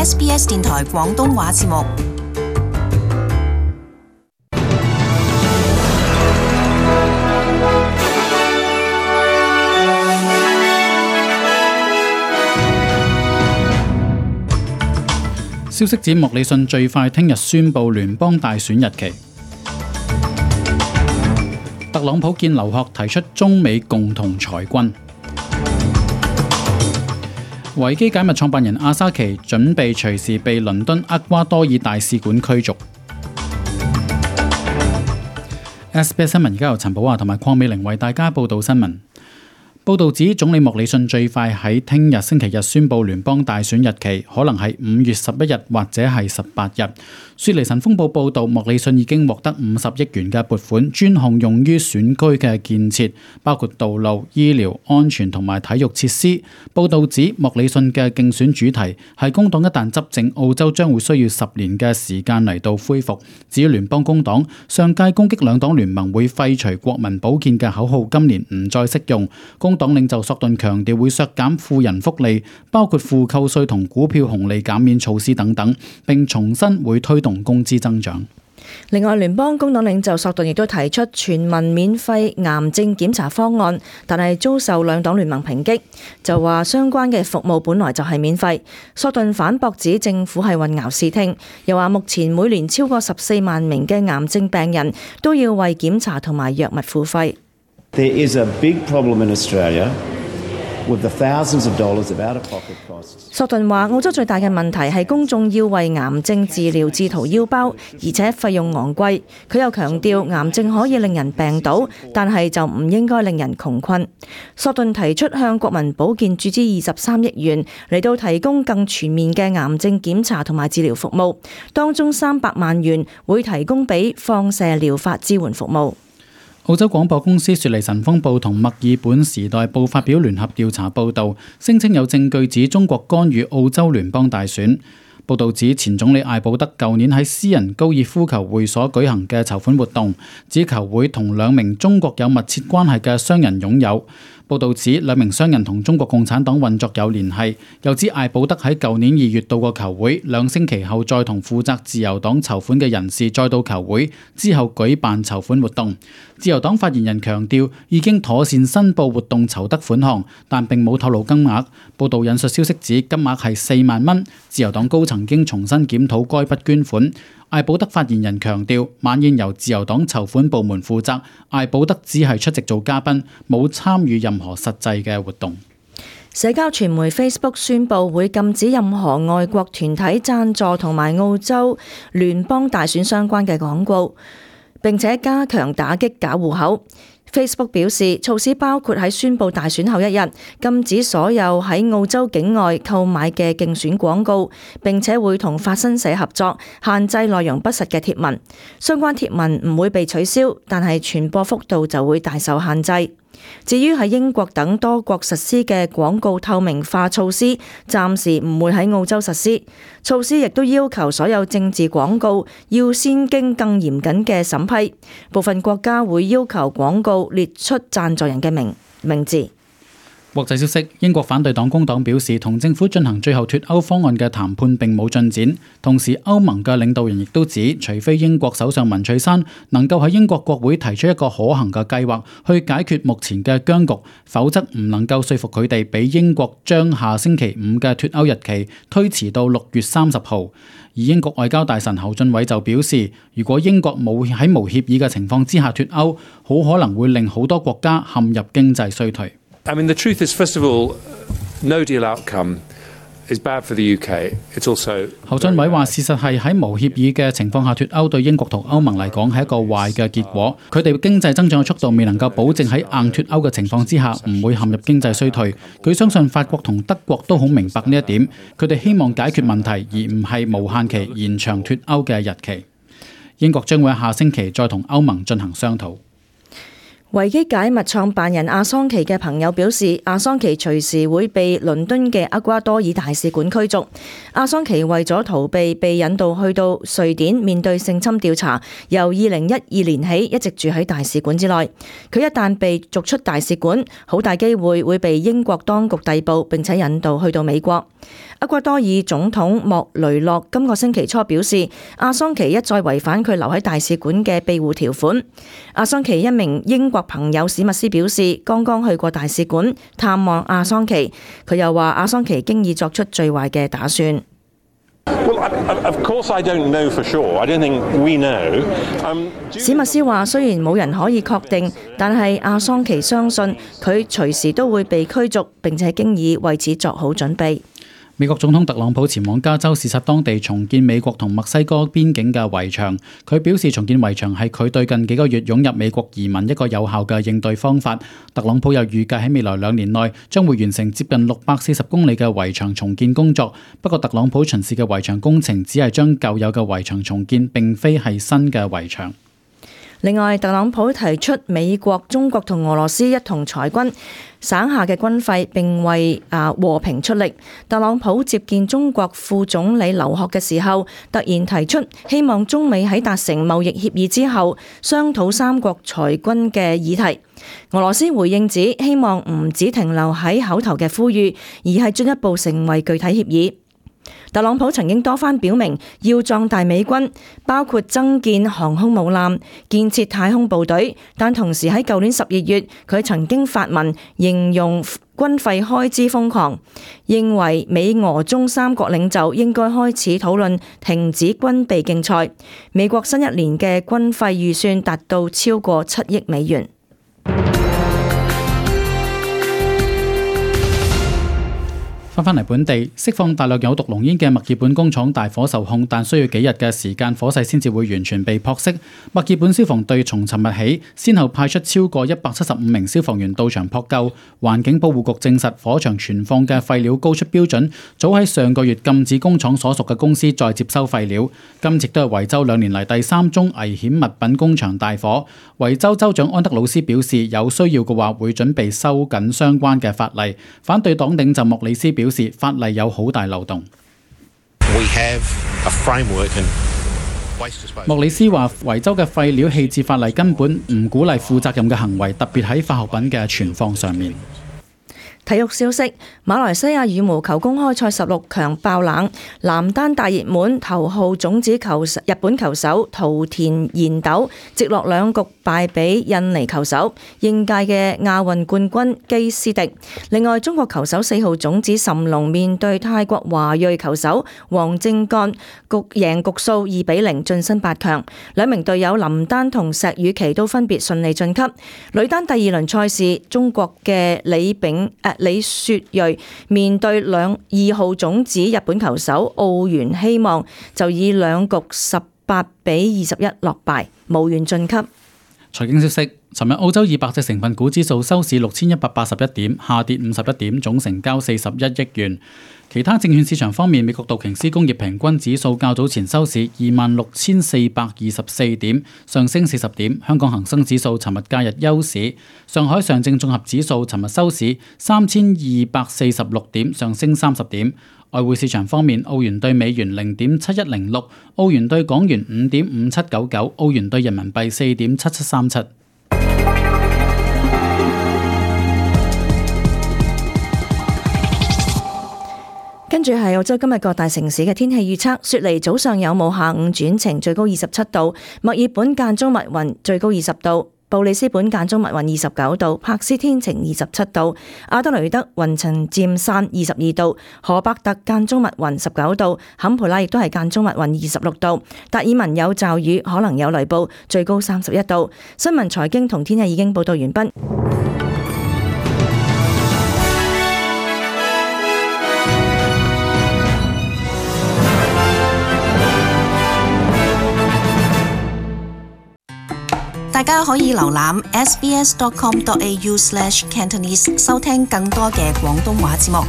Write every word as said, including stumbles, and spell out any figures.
S B S 電台廣東話節目。消息指莫里遜最快聽日宣布聯邦大選日期。特朗普見劉鶴提出中美共同裁軍。維基解密創辦人阿沙奇準備隨時被倫敦厄瓜多爾大使館驅逐。S B S 新聞而家由陳寶華同埋鄺美玲為大家報道新聞。報道指總理莫里遜最快喺聽日星期日宣布聯邦大選日期，可能係五月十一日或者係十八日。雪梨晨鋒報報道，莫里遜已經獲得五十億元嘅撥款，專項用於選區嘅建設，包括道路、醫療、安全同埋體育設施。報道指莫里遜嘅競選主題係工黨一旦執政，澳洲將會需要十年嘅時間嚟到恢復。至於聯邦工黨，上屆攻擊兩黨聯盟會廢除國民保健嘅口號，今年唔再適用。工黨領袖索頓強調會削減富人福利，包括負扣稅同股票紅利減免措施等等，並重申會推動工資增長。另外，聯邦工黨領袖索頓亦都提出全民免費癌症檢查方案，但係遭受兩黨聯盟抨擊，就話相關嘅服務本來就係免費。索頓反駁指政府係混淆視聽，又話目前每年超過十四萬名嘅癌症病人都要為檢查同埋藥物付費。There is a big problem in Australia with the thousands of dollars of out-of-pocket costs. 索頓話：澳洲最大嘅問題係公眾要為癌症治療自掏腰包，而且費用昂貴。佢又強調癌症可以令人病倒，但係就唔應該令人窮困。索頓提出向國民保健注資二十三億元嚟到提供更全面嘅癌症檢查同埋治療服務，當中三百萬元會提供俾放射療法支援服務。澳洲廣播公司雪梨晨鋒報同墨爾本時代報發表聯合調查報導，聲稱有證據指中國干預澳洲聯邦大選。報導指前總理艾保德舊年喺私人高爾夫球會所舉行嘅籌款活動，指球會同兩名中國有密切關係嘅商人擁有。報導指兩名商人同中國共產黨運作有聯繫，又指艾保德喺舊年二月到過球會，兩星期後再同負責自由黨籌款嘅人士再到球會，之後舉辦籌款活動。自由黨發言人強調已經妥善申報活動籌得款項，但並冇透露金額。報導引述消息指金額係四萬蚊，自由黨高層經重新檢討該筆捐款。艾保德發言人強調，晚宴由自由黨籌款部門負責，艾保德只係出席做嘉賓，冇參與任何實際嘅活動。社交傳媒 Facebook 宣布會禁止任何外國團體贊助同埋澳洲聯邦大選相關嘅廣告，並且加強打擊假戶口。Facebook 表示，措施包括喺宣布大選後一日禁止所有喺澳洲境外購買嘅競選廣告，並且會同法新社合作，限制內容不實嘅貼文。相關貼文唔會被取消，但係傳播幅度就會大受限制。至於喺英國等多國實施嘅廣告透明化措施，暫時唔會喺澳洲實施。措施亦都要求所有政治廣告要先經更嚴謹嘅審批。部分國家會要求廣告列出贊助人嘅名名字。國際消息，英國反對黨工黨表示，同政府進行最後脫歐方案嘅談判並冇進展。同時，歐盟嘅領導人亦都指，除非英國首相文翠珊能夠喺英國國會提出一個可行嘅計劃去解決目前嘅僵局，否則唔能夠說服佢哋俾英國將下星期五嘅脫歐日期推遲到六月三十號。而英國外交大臣侯俊偉就表示，如果英國冇喺無協議嘅情況之下脫歐，好可能會令好多國家陷入經濟衰退。I mean, the truth is, first of all, no deal outcome is bad for the U K. It's also 侯俊偉話：事實係喺無協議嘅情況下脫歐，對英國同歐盟嚟講係一個壞嘅結果。佢哋經濟增長嘅速度未能夠保證喺硬脫歐嘅情況之下唔會陷入經濟衰退。佢相信法國同德國都好明白呢一點，佢哋希望解決問題，而唔係無限期延長脫歐嘅日期。英國將會喺下星期再同歐盟進行商討。維基解密創辦人阿桑奇嘅朋友表示，阿桑奇隨時會被倫敦嘅厄瓜多爾大使館驅逐。阿桑奇為咗逃避被引渡去到瑞典面對性侵調查，由二零一二年起一直住喺大使館之內。佢一旦被逐出大使館，好大機會會被英國當局逮捕並且引渡去到美國。厄瓜多爾總統莫雷諾今個星期初表示，阿桑奇一再違反佢留喺大使館嘅庇護條款。阿桑奇一名英國朋友史密斯表示，剛剛去過大使館探望阿桑奇，佢又話阿桑奇經已作出最壞嘅打算。史密斯話：雖然冇人可以確定，但係阿桑奇相信佢隨時都會被驅逐，並且經已為此作好準備。美國總統特朗普前往加州視察當地重建美國同墨西哥邊境嘅圍牆。佢表示重建圍牆係佢對近幾個月湧入美國移民一個有效嘅應對方法。特朗普又預計喺未來兩年內將會完成接近六百四十公里嘅圍牆重建工作。不過特朗普巡視嘅圍牆工程只係將舊有嘅圍牆重建，並非係新嘅圍牆。另外，特朗普提出美國、中國同俄羅斯一同裁軍省下嘅軍費，並為啊和平出力。特朗普接見中國副總理劉鶴嘅時候，突然提出希望中美喺達成貿易協議之後，商討三國裁軍嘅議題。俄羅斯回應指，希望唔只停留喺口頭嘅呼籲，而係進一步成為具體協議。特朗普曾經多番表明要壯大美軍，包括增建航空母艦、建設太空部隊，但同時喺舊年十二月，佢曾經發文形容軍費開支瘋狂，認為美俄中三國領袖應該開始討論停止軍備競賽。美國新一年嘅軍費預算達到超過七億美元。翻返嚟本地，釋放大量有毒濃煙嘅墨爾本工廠大火受控，但需要幾日嘅時間火勢先至會完全被撲熄。墨爾本消防隊從尋日起，先後派出超過一百七十五名消防員到場撲救。環境保護局證實，火場存放嘅廢料高出標準，早喺上個月禁止工廠所屬嘅公司再接收廢料。今次都係維州兩年嚟第三宗危險物品工場大火。維州州長安德魯斯表示，有需要嘅話會準備收緊相關嘅法例。反對黨領袖莫里斯表示，法例有好大漏洞。莫里斯話，維州嘅廢料棄置法例根本唔鼓勵負責任嘅行為，特別喺化學品嘅存放上面。體育消息：馬來西亞羽毛球公開賽十六強爆冷，男單大熱門頭號種子球日本球手桃田賢斗直落兩局敗俾印尼球手應屆嘅亞運冠軍基斯迪。另外，中國球手四號種子諶龍面對泰國華裔球手黃正幹，局贏局數二比零晉身八強。兩名隊友林丹同石宇奇都分別順利晉級。女單第二輪賽事，中國嘅李炳誒。李雪芮面對兩二號種子日本球手奧原希望，就以兩局十八比二十一落敗，無緣晉級。財經消息：尋日澳洲二百隻成分股指數收市六千一百八十一點，下跌五十一點，總成交四十一億元。其他證券市場方面，美國道瓊斯工業平均指數較早前收市二萬六千四百二十四點，上升四十點。香港恒生指數尋日假日休市。上海上證綜合指數尋日收市三千二百四十六點，上升三十點。外匯市場方面，澳元對美元零點七一零六，澳元對港元五點五七九九，澳元對人民幣四點七七三七。跟住係澳洲今日各大城市嘅天氣預測：雪梨早上有霧，下午轉晴，最高二十七度；墨爾本間中密雲，最高二十度；布里斯本間中密雲，二十九度；柏斯天晴，二十七度；阿德雷德雲層漸散，二十二度；荷伯特間中密雲，十九度；坎培拉亦都係間中密雲，二十六度；達爾文有驟雨，可能有雷暴，最高三十一度。新聞財經同天氣已經報道完畢。大家可以瀏覽 s b s dot com dot a u slash cantonese 收聽更多嘅廣東話節目。